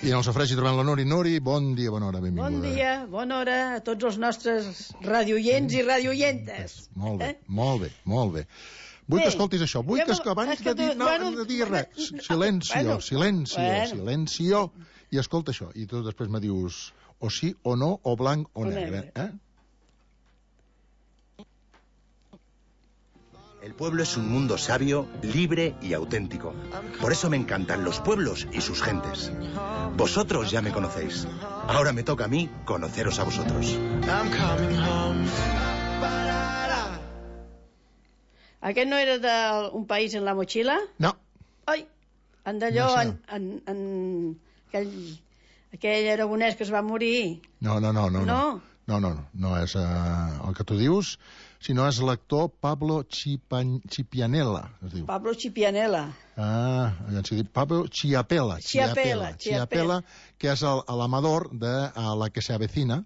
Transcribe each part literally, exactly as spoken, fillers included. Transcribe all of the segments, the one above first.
I en el sofregi trobem la Nuri. Nuri, bon dia, bona hora, benvinguda. Bon dia, bona hora a tots els nostres radioients i radioientes. Molt bé, eh? molt bé, molt bé. Vull bé, que escoltis això, vull que, que abans que de dir, no, bueno, no diguis res, silencio, bueno, silencio, bueno. silencio, i escolta això, i tu després me dius o sí o no, o blanc o, o negre, negre. Eh? El pueblo es un mundo sabio, libre y auténtico. Por eso me encantan los pueblos y sus gentes. Vosotros ya me conocéis. Ahora me toca a mí conoceros a vosotros. Aquest no era d'un país en la motxilla? No. Ai, en d'allò, no en, en, en aquell, aquell aragonès que es va morir. No, no, no, no. No, no, no, no, no és uh, el que tu dius, sinó és l'actor Pablo Chipan, Chipianella, es diu. Pablo Chipianella. Ah, ja s'ha dit Pablo Chiapella. Chiapella, Chiapella, que és l'amador de uh, La que se avecina.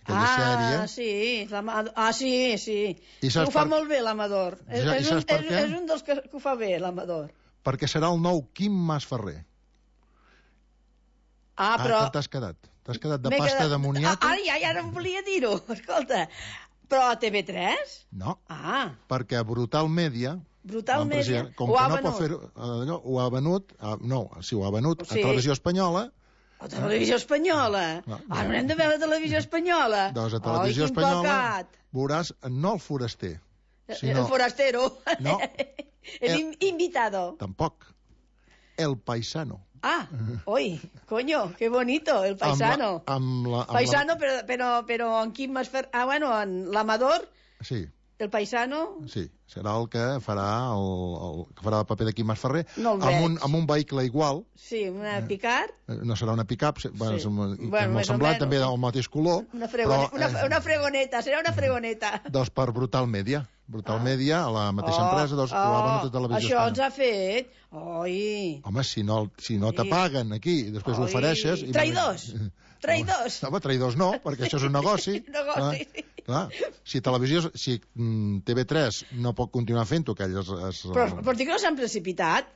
Ah, sèrie. sí, ah, sí, sí. I ho fa per... molt bé l'Amador. Ja, és, un, és, és un dels que, que ho fa bé, l'Amador. Perquè serà el nou Quim Masferrer. Ah, però... Ah, t'has quedat. T'has quedat de pasta quedat... de moniato. Ah, ja, ja no em volia dir-ho. Escolta, però a T V tres? No. Ah. Perquè Brutal Media... Brutal Media com ho que ha no venut. Pot fer, allò, ho ha venut... No, sí, ho ha venut sí. a Televisió Espanyola... A Televisió Espanyola? No, no. Ah, no hem de veure Televisió Espanyola? Doncs a Televisió oh, Espanyola veuràs no el foraster, sinó... El forastero. No. El, el invitado. Tampoc. El paisano. Ah, oi, coño, qué bonito, el paisano. Amb la, amb la, amb paisano, la... però, però, però en quin Masferrer... Ah, bueno, en l'Amador... Sí. El paisano... Sí, serà el que farà el, el que farà el paper de Quim Masferrer no amb, un, amb un vehicle igual. Sí, una Picard. No serà una pick-up, sí. bueno, és, bueno, molt semblant, també del mateix color. Una, fregone, però, una, una fregoneta, serà una fregoneta. Doncs per Brutal Media. Brutal ah. Media, a la mateixa oh, empresa, doncs, oh, ho ha venut a Televisió Això Espanyola. Ens ha fet... Oi. Home, si no, si no t'apaguen aquí i després Oi. Ho ofereixes... Traïdors! Traïdors! Home, traïdors no, perquè això és un negoci. negoci. Clar, clar. Si televisió, si mm, T V tres no pot continuar fent-ho, que elles... Es, però, però dic que no s'han precipitat.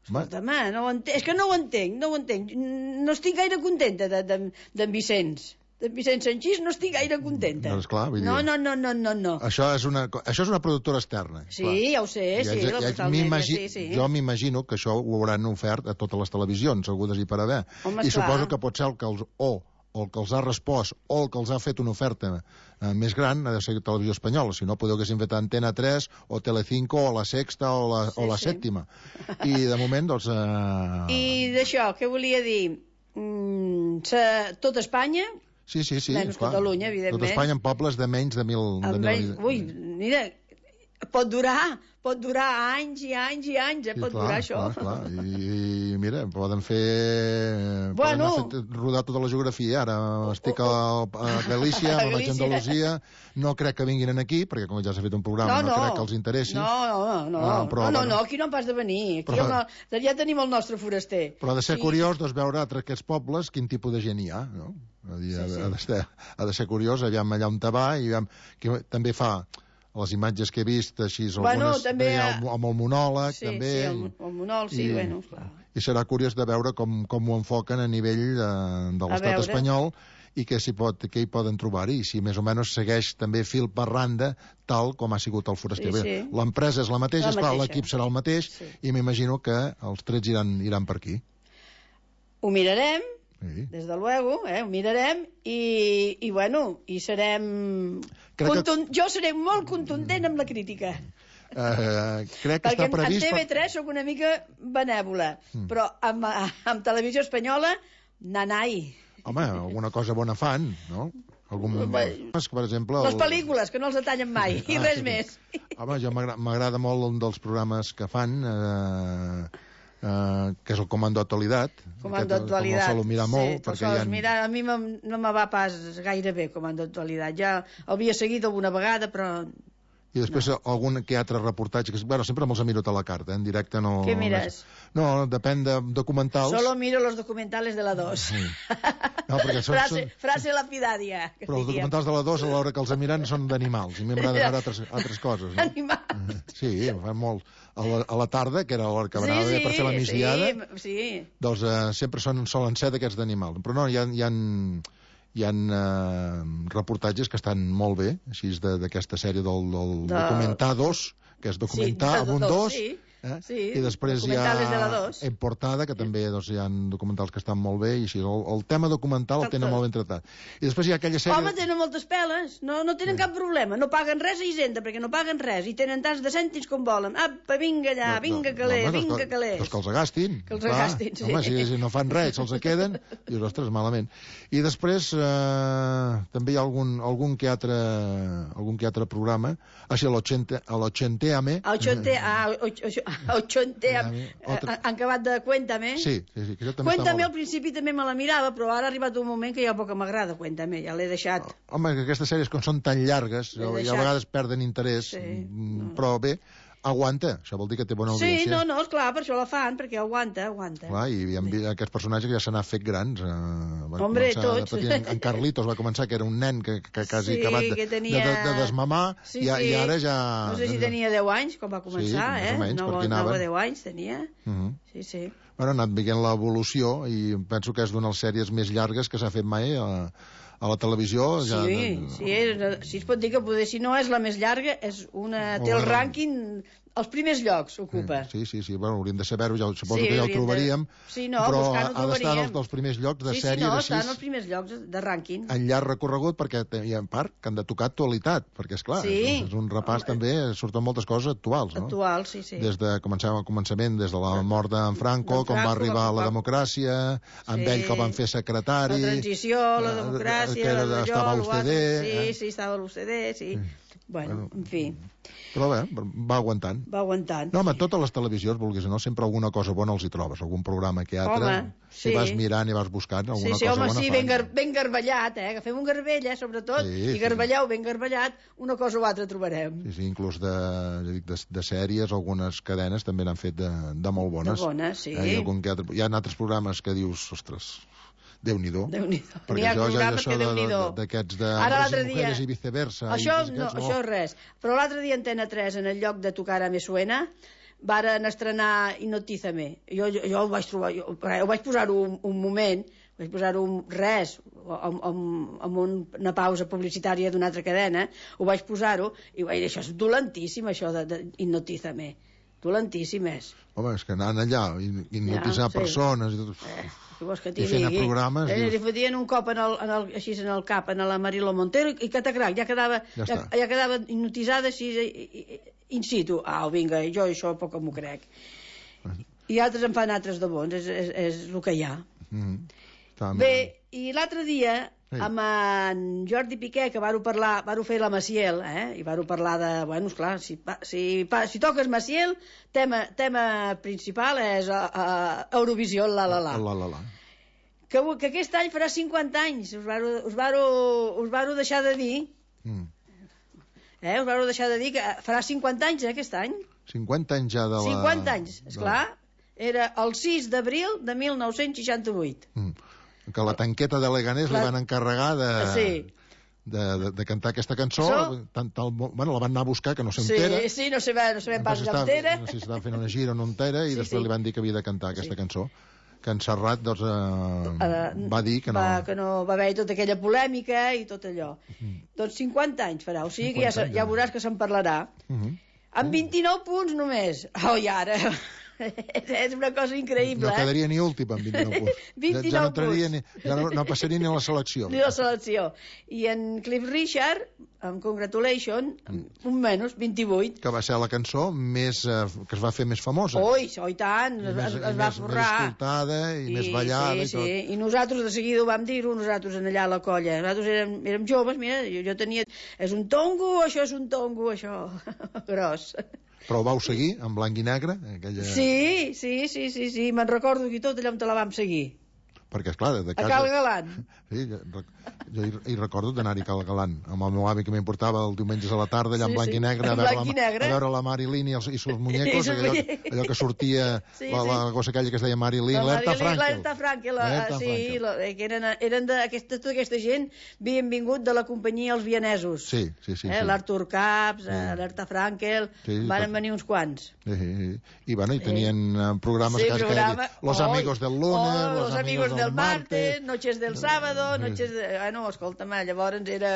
Escolta'm, no ho entenc, és que no ho entenc, no ho entenc. No estic gaire contenta d'en de, de, Vicenç. D'en Vicenç Sanchís no estic gaire contenta. Doncs clar, vull dir... No, no, no, no, no, no. Això és una, això és una productora externa. Sí, clar. Ja ho sé, ja, sí, ja, la ja, totalment, sí, sí. Jo m'imagino que això ho hauran ofert a totes les televisions, hagudes i per haver. Home, I clar. suposo que pot ser el que els... o o el que els ha respost, o el que els ha fet una oferta eh, més gran, ha de ser Televisió Espanyola, si no podeu haguessin fet Antena tres, o Telecinco, o La Sexta, o La, sí, o la sí. Sèptima. I de moment, doncs... Eh... I d'això, què volia dir? Mm, se... Tot Espanya... Sí, sí, sí. Menys clar. Catalunya, evidentment. Tot Espanya en pobles de menys de mil... De mil... Menys... Ui, mira, pot durar, pot durar anys i anys i anys, eh? Sí, pot clar, durar això. Clar, clar. I, I mira, poden fer... Bueno... Poden fer, rodar tota la geografia. Ara estic a, a Galícia, a vaig a Andalusia, no crec que vinguin aquí, perquè com ja s'ha fet un programa, no, no, no crec que els interessi. No, no, no, ah, però, no, no, no, aquí no en pas de venir. Aquí però, el, ja tenim el nostre foraster. Però ha de ser sí. curiós doncs, veure entre aquests pobles quin tipus de gent hi ha, no? Ha de, sí, sí. Ha, de ser, ha de ser curiós, aviam allà on te va, i aviam, que també fa... les imatges que he vist, així, bueno, algunes també, amb, amb el monòleg, sí, també. Sí, el, el monòleg, sí, i, bueno, clar. I serà curiós de veure com, com ho enfoquen a nivell de, de l'estat espanyol i què, pot, què hi poden trobar i si més o menys segueix també fil per randa tal com ha sigut el foraster. Sí, sí. L'empresa és la mateixa, la mateixa. L'equip serà el mateix sí. i m'imagino que els trets iran, iran per aquí. Ho mirarem. Sí. Des de luego, eh, ho mirarem i, i bueno, i serem contun... que... jo seré molt contundent amb la crítica uh, crec que perquè està previst en T V tres per... sóc una mica benèvola mm. però amb, amb Televisió Espanyola nanai. Home, alguna cosa bona fan, no? Algun... per exemple, les el... pel·lícules, que no els detallen mai ah, i res sí. més. Home, jo m'agrada molt un dels programes que fan eh... Uh, que és el Comando Actualitat. Comando Actualitat. No mirar molt, sí, perquè ha... mirar, a mi no me va pas gaire bé Comando Actualitat. Ja l'havia seguit alguna vegada, però I després no. algun que altre reportatge, que bueno, sempre me'ls miro a la carta, eh? En directe no... Què mires? No, depèn de documentals. Solo miro los documentales de la dos. Sí. No, perquè són, frase, són... frase lapidaria. Però els documentals de la dos, a l'hora que els miren, són d'animals, i a mi m'agrada veure altres, altres coses. No? Animals. Sí, fan molt. A la, a la tarda, que era l'hora que anava sí, sí, per fer la migdiada, sí, sí. doncs eh, sempre són, solen ser d'aquests d'animals. Però no, hi ha... Hi ha hi ha eh, reportatges que estan molt bé, així d'aquesta sèrie del, del de... Documentados, que és documentar sí, amb un dos, sí, eh? sí, i després hi ha En Portada, que també doncs, hi ha documentals que estan molt bé, i així, el, el tema documental el tenen molt ben tratat. I després hi ha aquella sèrie... Home, tenen moltes peles, no, no tenen sí. cap problema, no paguen res a Hisenda, perquè no paguen res, i tenen tants de cèntims com volen. Apa, vinga allà, no, vinga calés, no, vinga calés. Doncs que els gastin. Que els gastin, sí. Home, si, si no fan res, se'ls queden, dius, ostres, malament. I després eh, també hi ha algun, algun, que altre, algun que altre programa, així a l'Ochenteame. A Ochenteame. Han acabat de Cuéntame. Sí, sí, sí. Que Cuéntame al principi també me la mirava, però ara ha arribat un moment que ja poc m'agrada Cuéntame, ja l'he deixat. Home, que aquestes sèries, com són tan llargues, ja a vegades perden interès, sí, però bé, aguanta, això vol dir que té bona audiència. Sí, no, no, esclar, per això la fan, perquè aguanta, aguanta. Clar, i hi ha aquests personatges que ja se n'ha fet grans. Eh, Hombre, tots. En, en Carlitos va començar, que era un nen que, que quasi sí, acabat de, que tenia... de, de, de desmamar, sí, i, sí. i ara ja... No sé si tenia deu anys, quan va començar, sí, eh? Menys, nou o deu anys tenia. Uh -huh. Sí, sí. Bueno, ha anat veient l'evolució, i penso que és d'una de les sèries més llargues que s'ha fet mai a, a la televisió. Ja, sí, de... sí, és, sí, es pot dir que poder, si no és la més llarga, és una, té el rànquing... Els primers llocs ocupa. Sí, sí, sí, bueno, hauríem de saber-ho, ja, suposo sí, que ja ho trobaríem, de... sí, no, però ha d'estar dels, dels primers llocs de sí, sèries sí, no, així. Sí, no, està en els primers llocs de rànquing. En llarg recorregut, perquè hi ha en part que han de tocar actualitat, perquè, esclar, sí. és, és un repàs Home. també, surten moltes coses actuals, no? Actuals, sí, sí. Des de, comencem al començament, des de la mort d'en Franco, com va arribar a la democràcia, amb sí. ell que el van fer secretari... La transició, la democràcia... Que era, la estava a l'U C D... Sí, eh? sí, estava a l'U C D, sí... Mm. Bueno, en fi... Però bé, va aguantant. Va aguantant. No, home, totes les televisions, vulguis o no, sempre alguna cosa bona els hi trobes, algun programa que altre, home, sí. si vas mirant i vas buscant, alguna sí, sí, cosa home, bona sí, fan. ben, gar ben garballat, eh? Agafem un garbell, eh, sobretot, sí, i garballeu sí. ben garballat, una cosa o altra trobarem. Sí, sí, inclús de, de, de sèries, algunes cadenes també n'han fet de, de molt bones. De bones, sí. Eh, hi, ha algun que altre, hi ha altres programes que dius, ostres... Déu-n'hi-do. Déu-n'hi-do. Perquè jo ja això d'aquests de homes i mujeres i viceversa. Això, i no, això és res. Però l'altre dia Antena tres, en el lloc de Tocar a Me Suena, varen estrenar Hipnotízame. Jo, jo, jo ho vaig trobar, jo, ho vaig posar-ho un, un moment, vaig posar-ho res, amb, amb, amb una pausa publicitària d'una altra cadena, ho vaig posar-ho, i vaig dir, això és dolentíssim, això de, de Hipnotízame. Dolentíssim és. Home, és que anant allà, hipnotitzar ja, sí. persones... I tot... Eh. Que I fent programes... Eh, dius... li fotien un cop en el, en el, així en el cap, en la Mariló Montero, i catacrac, ja quedava, ja, ja, ja quedava hipnotitzada així in situ. Ah, vinga, jo això poc m'ho crec. I altres en fan altres de bons, és, és, és el que hi ha. Mm -hmm. Bé, i l'altre dia, sí. amb en Jordi Piqué, que varo parlar, varo fer la Maciel, eh? I varo parlar de, bueno, esclar, si, si, si toques Maciel, tema, tema principal és a, a Eurovisió, la la la. La la la. Que, que aquest any farà cinquanta anys, us varo, us varo, us varo deixar de dir, mm. eh? Us varo deixar de dir que farà cinquanta anys, eh, aquest any. cinquanta anys ja de la... cinquanta anys, esclar, era el sis d'abril de mil nou-cents seixanta-vuit. Mm. Que la tanqueta de Leganés la... li van encarregar de... Sí. De, de, de cantar aquesta cançó, so... tant, tal, bueno, la van anar a buscar, que no s'entera. Sí, sí, no sabem, no sabem pas d'entera. No sé si estava fent una gira o no entera, i sí, després sí. li van dir que havia de cantar aquesta sí. cançó. Que en Serrat, doncs, eh, uh, va dir que no... Va, que no va haver tota aquella polèmica i tot allò. Uh -huh. Doncs cinquanta anys farà, o sigui que ja, ja veuràs que se'n parlarà. Uh -huh. Amb vint-i-nou punts només. Oh, i ara... és una cosa increïble, no quedaria ni últim amb vint-i-nou punts. vint-i-nou ja no, entraria ni, ja no, no passaria ni a la selecció. Ni a la selecció. I en Cliff Richard, amb Congratulations, mm. un menys, vint-i-vuit. Que va ser la cançó més, eh, que es va fer més famosa. Oi, oi tant, es, més, es, es va forrar. Més escoltada i, i més ballada sí, i tot. Sí. I nosaltres de seguida ho vam dir-ho, nosaltres en allà a la colla. Nosaltres érem, érem joves, mira, jo, jo tenia... És un tongo, això és un tongo, això. Gros. Però ho vau seguir, en blanc i negre? Aquella... Sí, sí, sí, sí, sí. Me'n recordo que tot allò on te la vam seguir. perquè, esclar, de casa... A Cal Galant. Sí, jo, jo hi, hi recordo d'anar-hi a Cal Galant, amb el meu avi que m'importava el diumenges a la tarda, allà en blanc i negre, a veure, la, a veure la Marilyn i els, i sus muñecos, allò, allò que sortia, sí, la, la gossa aquella que es deia Marilyn, l'Herta Frankel. L'Herta Frankel, sí, la, que eren, eren de, aquesta, tota aquesta gent havien vingut de la companyia Els Vienesos. Sí, sí, sí. Eh? sí. L'Artur Caps, sí. l'Herta Frankel, sí, van tot... venir uns quants. Sí, sí. I, bueno, i tenien eh, programes sí, que programa... dit, Los oh, Amigos del Lunes, oh, Los, los Amigos del, del Martes, Noches del Sábado, sí. Noches de... Ah, no, escolta'm, llavors era...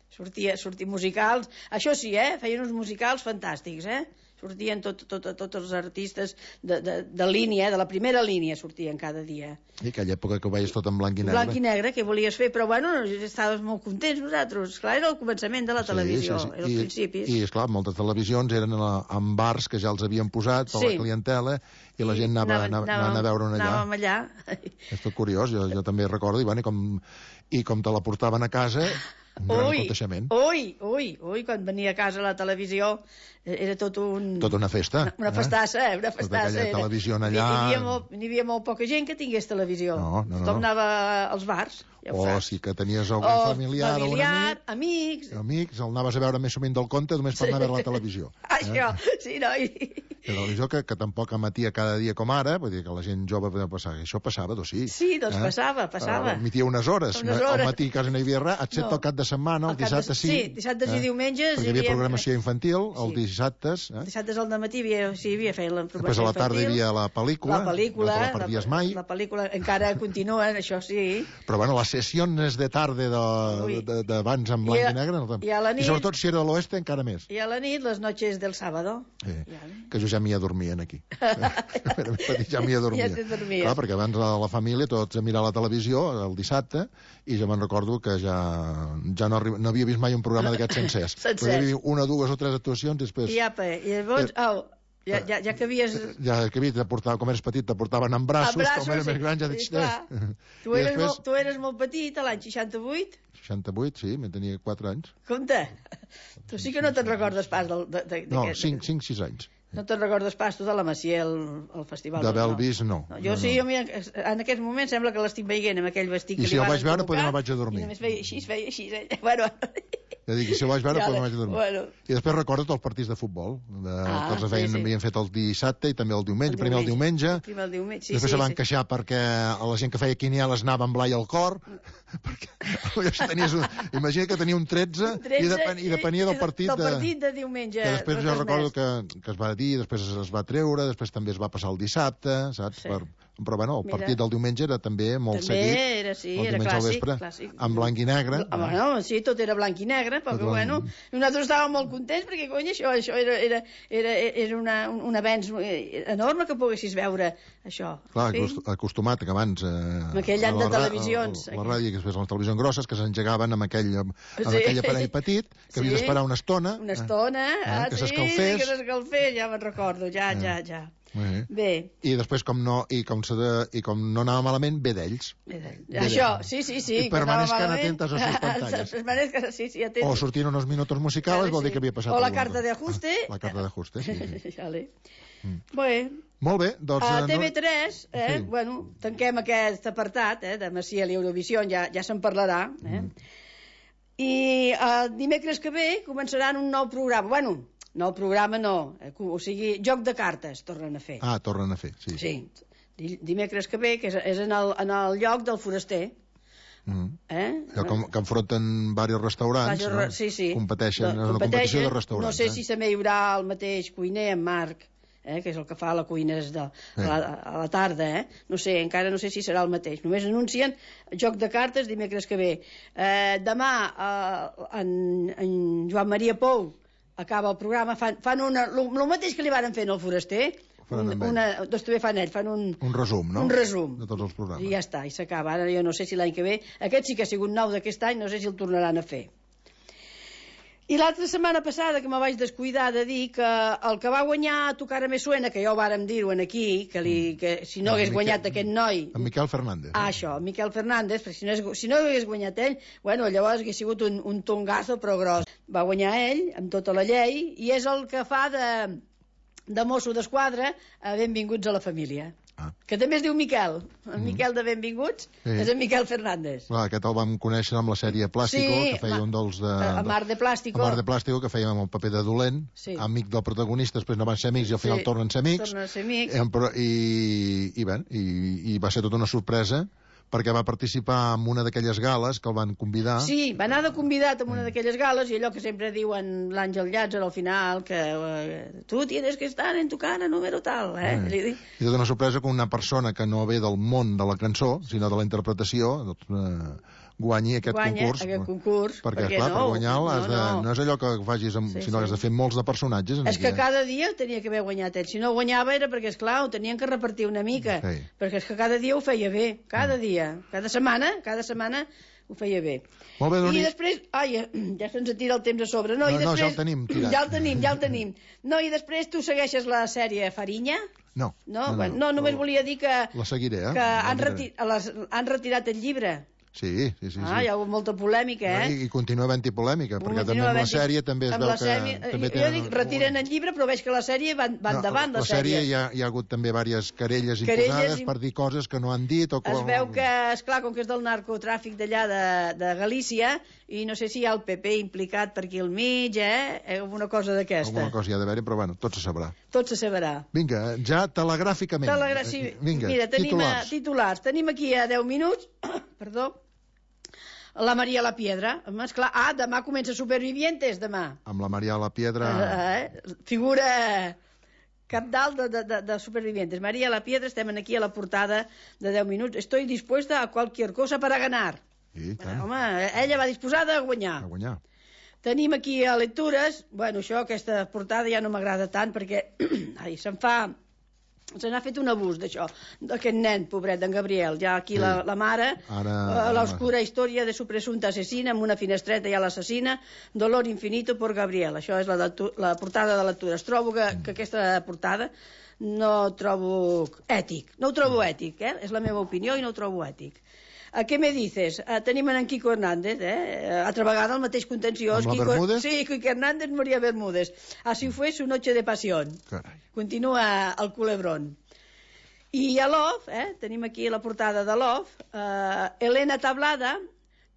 Sortia, sortia musicals. Això sí, eh? Feien uns musicals fantàstics, eh? Sortien tots tot, tot, tot els artistes de, de, de línia, de la primera línia sortien cada dia. I aquella època que ho veies tot en blanc i negre. Blanc i negre, què volies fer? Però bueno, estàvem molt contents nosaltres. Clar, era el començament de la televisió, sí, sí, sí. era els I, principis. I, esclar, moltes televisions eren en bars que ja els havien posat per sí. la clientela i la gent anava, anava, anava, anava a veure allà. Anàvem allà. És tot curiós, jo, jo també recordo, i, bueno, i, com, i com te la portaven a casa... Un gran ui, aconteixement. Ui, ui, ui, quan venia a casa la televisió era tot un... Tota una festa. Una, una festassa, eh? Una festassa. Tota aquella televisió allà... N'hi havia, molt, n'hi havia molt poca gent que tingués televisió. No, no, no. Tothom anava als bars. Ja o saps. si que tenies algun o familiar, familiar o un amic... amics... Amics, el anaves a veure més sovint del compte només per anar a veure la televisió. Això, eh? sí, no? I... La televisió que, que tampoc emetia cada dia com ara, vull dir que la gent jove podia passar. Això passava, doncs sí. Sí, doncs eh? passava, passava. Uh, emetia unes hores. Unes hores. Al matí quasi no hi havia res, excepte no. el cap de setmana, el, el dissabte de... sí. Sí, dissabtes eh? i diumenges... Perquè hi havia programació infantil, sí. els dissabtes. Eh? Dissabtes al dematí havia, sí, havia fet la programació infantil. Després a la tarda hi havia la pel·lícula. La pel·lícula. No te la perdies mai. La pel·lícula encara continua, això sí. Però bueno, les sessions de tarda d'abans en blanc i, a, i negre... No, i, a la nit, I sobretot si era de l'oeste encara més. I a la nit, les noches del sábado. Sí, que jo ja m'hi adormien aquí. Era més petit, ja m'hi adormia. Ja t'adormies. Clar, perquè abans la, la família tots a mirar la televisió el dissabte i jo me'n recordo que ja, ja no, arriba, no havia vist mai un programa d'aquests sencers. Sencers. Hi havia una, dues o tres actuacions i després... I apa, i llavors... Eh, oh, ja, ja, ja que havies... Ja que havies, com eres petit, te portaven en braços, braços com eres sí. més gran, ja dic... Sí, tu, eres després... molt, tu eres molt petit, a l'any seixanta-vuit? seixanta-vuit, sí, me tenia quatre anys. Compte, tu sí que no te'n recordes pas del... De, de, no, cinc, cinc, sis anys. No te'n recordes pas tu de la Macià, el, el festival? D'haver-el vist, no. no. Jo no, sí, no. jo mira, en aquest moment sembla que l'estic veient amb aquell vestit I que si li el van vaig veure, col·locar, potser no vaig a dormir. I només feia així, feia així, eh? Bueno... Ja dic, si el vaig veure, ja, potser no vaig a dormir. Bueno. I després recordo els partits de futbol, de, ah, que els feien, sí, sí. havien fet el dissabte i també el diumenge. El primer el diumenge, primer el diumenge sí, després sí, se van sí. queixar perquè a la gent que feia quinieles anava amb blai al cor, perquè tenies un, imagina que tenia un tretze, tretze i, depen, i depenia del partit, del partit de, de diumenge. Que després jo recordo que, que es va dir, després es va treure, després també es va passar el dissabte, saps? Sí. Per, però bueno, el partit Mira. del diumenge era també molt també seguit. Era, sí, el era clàssic, vespre, clàssic. En blanc i negre. Ah, bueno, sí, tot era blanc i negre, però que, bueno, nosaltres estàvem molt contents perquè, cony, això, això era, era, era, era una, un, un avenç enorme que poguessis veure això. Clar, acostumat que abans... Eh, amb aquell any de televisions. A, a, la ràdio, que després les televisions grosses, que s'engegaven amb aquell, amb sí. aquell aparell petit, que sí. havies d'esperar una estona. Una estona, eh, ah, que sí, s'escalfés. que s'escalfés, ja me'n recordo, ja, eh. ja, ja. Bé. Bé. I després, com no, i com, se de, i com no anava malament, ve d'ells. Això, sí, sí, sí. I permanezcan atentas a sus pantallas. Permanezcan, sí, sí, atentos. O sortien unos minutos musicales, vale, vol dir sí. que havia passat o la alguna carta de ajuste. La carta de ajuste, sí. sí. Vale. Mm. Bé. Molt bé, doncs... A T V tres, eh, sí. bueno, tanquem aquest apartat, eh, de Maciel i Eurovisió, ja, ja se'n parlarà, eh. Mm. I el dimecres que ve començaran un nou programa. Bueno, no, el programa no, o sigui, joc de cartes tornen a fer. Ah, tornen a fer, sí. Sí, dimecres que ve, que és en el, en el lloc del foraster. Mm. Eh? Que, que enfronten diversos restaurants, Vaja, no? Sí, sí. Competeixen, de, és una competició de restaurants. No sé eh? si també hi haurà el mateix cuiner, en Marc, eh, que és el que fa la cuina de, sí. a, la, a la tarda, eh? No sé, encara no sé si serà el mateix. Només anuncien joc de cartes dimecres que ve. Eh, demà eh, en, en Joan Maria Pou acaba el programa, fan, fan una, el mateix que li van fer en el foraster, un, una, doncs també fan ells, fan un... Un resum, no? Un resum. De tots els programes. I ja està, i s'acaba. Ara jo no sé si l'any que ve, aquest sí que ha sigut nou d'aquest any, no sé si el tornaran a fer. I l'altra setmana passada, que me vaig descuidar de dir que el que va guanyar a Tu cara me suena, que ja ho vàrem dir-ho aquí, que, li, que si no hagués guanyat aquest noi... En Miquel Fernández. Ah, això, en Miquel Fernández, perquè si no, hagués, si no hagués guanyat ell, bueno, llavors hagués sigut un, un tongazo, però gros. Va guanyar ell, amb tota la llei, i és el que fa de, de mosso d'esquadra a Benvinguts a la família. Ah. Que també es diu Miquel. El Miquel de Benvinguts sí. és en Miquel Fernández. Clar, aquest el vam conèixer amb la sèrie Plàstico, sí, que feia un dels... De, a Mar de Plàstico. A Mar de Plàstico, que feia amb el paper de dolent, sí. amic del protagonista, després no van ser amics i al final sí. tornen a ser amics. Tornen a ser amics. I, i, i, bé, i, i va ser tota una sorpresa, perquè va participar en una d'aquelles gales que el van convidar. Sí, va anar de convidat en una d'aquelles gales, i allò que sempre diuen l'Àngel Llàtzer al final, que eh, tu tienes que estar en tu cara número tal, eh? eh. I tota una sorpresa que una persona que no ve del món de la cançó, sinó de la interpretació, doncs, eh, guanyi aquest Guanya concurs. aquest concurs. Perquè, perquè clar, no, per guanyar-lo no, has de... no. no és allò que facis, amb, sí, sinó sí. que has de fer molts de personatges. És que cada dia tenia que haver guanyat ell. Si no guanyava era perquè, esclar, ho tenien que repartir una mica. Sí. Perquè és que cada dia ho feia bé. Cada mm. dia. Cada setmana, cada setmana ho feia bé. Molt bé, Doni. I després... Ai, ja se'ns tira el temps a sobre. No, no, i després... no ja el tenim tirat. Ja el tenim, ja el tenim. No, i després tu segueixes la sèrie Farinya? No. No, no, no, no només volia dir que... La seguiré, eh? Que han, reti... les... han retirat el llibre. Sí, sí, sí. Ah, sí. hi ha hagut molta polèmica, eh? I, i continua havent-hi polèmica, perquè també amb la sèrie també es veu que... Sèrie, també jo dic, retiren el llibre, però veig que la sèrie va, va no, endavant, la, la sèrie. Hi ha, hi ha hagut també diverses querelles, querelles imposades im... per dir coses que no han dit o... Es veu que, esclar, com que és del narcotràfic d'allà de, de Galícia, i no sé si hi ha el P P implicat per aquí al mig, eh? Alguna cosa d'aquesta. Alguna cosa hi ha d'haver-hi, però bueno, tot se sabrà. Tot se sabrà. Vinga, ja telegràficament. Telegra... Sí. Vinga, mira, tenim titulars. A, titulars. Tenim aquí a deu minuts, perdó, la Maria la Piedra. Esclar, ah, demà comença Supervivientes, demà. Amb la Maria la Piedra... Eh, figura capdalt de, de, de, de Supervivientes. Maria la Piedra, estem aquí a la portada de deu minuts. Estoy dispuesta a cualquier cosa para ganar. Sí, bueno, home, ella va disposada a guanyar. A guanyar. Tenim aquí a lectures, bueno, això, aquesta portada ja no m'agrada tant perquè ai, se'n fa... Se n'ha fet un abús d'això, d'aquest nen, pobret, d'en Gabriel. Ja aquí sí. la, la mare, Ara... uh, l'oscura història de su presumpta assassina, amb una finestreta ja l'assassina, dolor infinito por Gabriel. Això és la, de, la portada de lectures. Trobo que, mm. que aquesta portada no trobo ètic. No ho trobo mm. ètic, eh? És la meva opinió i no ho trobo ètic. A què me dices? Uh, tenim en Quico Hernández, eh? Altra vegada el mateix contenciós. Amb la Quico... Bermúdez? Sí, Quico Hernández, María Bermúdez. Así fue su noche de pasión. Carai. Continua el culebrón. I a Love, eh? Tenim aquí la portada de Love, uh, Elena Tablada,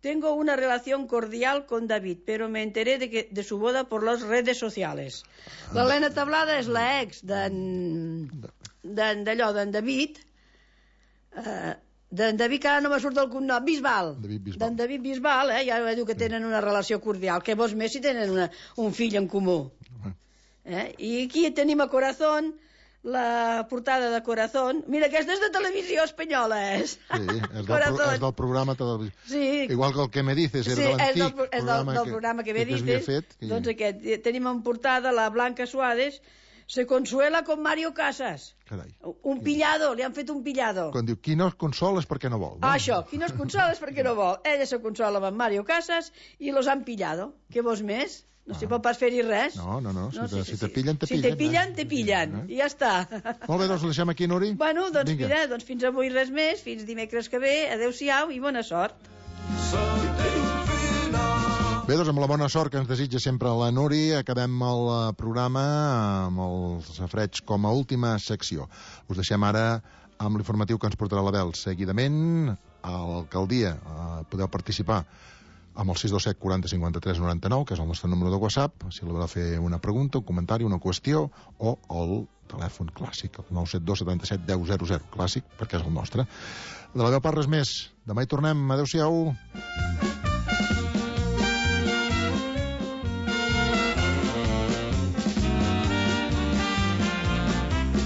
tengo una relación cordial con David, pero me enteré de, que, de su boda por las redes sociales. L'Elena Tablada és la ex d'en... d'allò, d'en David, eh... d'en David, que ara no me surt el cognom, Bisbal. D'en David Bisbal, eh? Ja diu que tenen una relació cordial. Què vols més si tenen una, un fill en comú? Eh? I aquí tenim a Corazón, la portada de Corazón. Mira, aquesta és de televisió espanyola, és. Sí, és del, pro, és del programa televisió. Sí. Igual que el que me dices, era sí, de l'antic és del, és del, del programa que, que me dices. Fet, que... Doncs aquest. Tenim en portada la Blanca Suárez, se consuela con Mario Casas. Carai. Un pillado, li han fet un pillado. Quan diu, qui no es consola és perquè no vol. No? Ah, això, qui no es consola és perquè no vol. Ella se consola amb Mario Casas i los han pillado. Què vols més? No s'hi pot pas fer-hi res. No, no, no. no si, te, sí, si te pillen, te si pillen. Si te pillen, te pillen. Eh? I ja està. Molt bé, doncs el deixem aquí, Nuri. Bueno, doncs Vinga. Mira, doncs fins avui res més. Fins dimecres que ve. Adéu-siau i bona sort. Bé, doncs amb la bona sort que ens desitja sempre la Nuri, acabem el programa amb els safreig com a última secció. Us deixem ara amb l'informatiu que ens portarà la Bel. Seguidament, a l'alcaldia podeu participar amb el sis dos set quaranta cinquanta-tres noranta-nou, que és el nostre número de WhatsApp, si voleu fer una pregunta, un comentari, una qüestió, o el telèfon clàssic, el nou set dos setanta-set deu zero zero, clàssic, perquè és el nostre. De la meva part, res més. Demà hi tornem. Adéu-siau.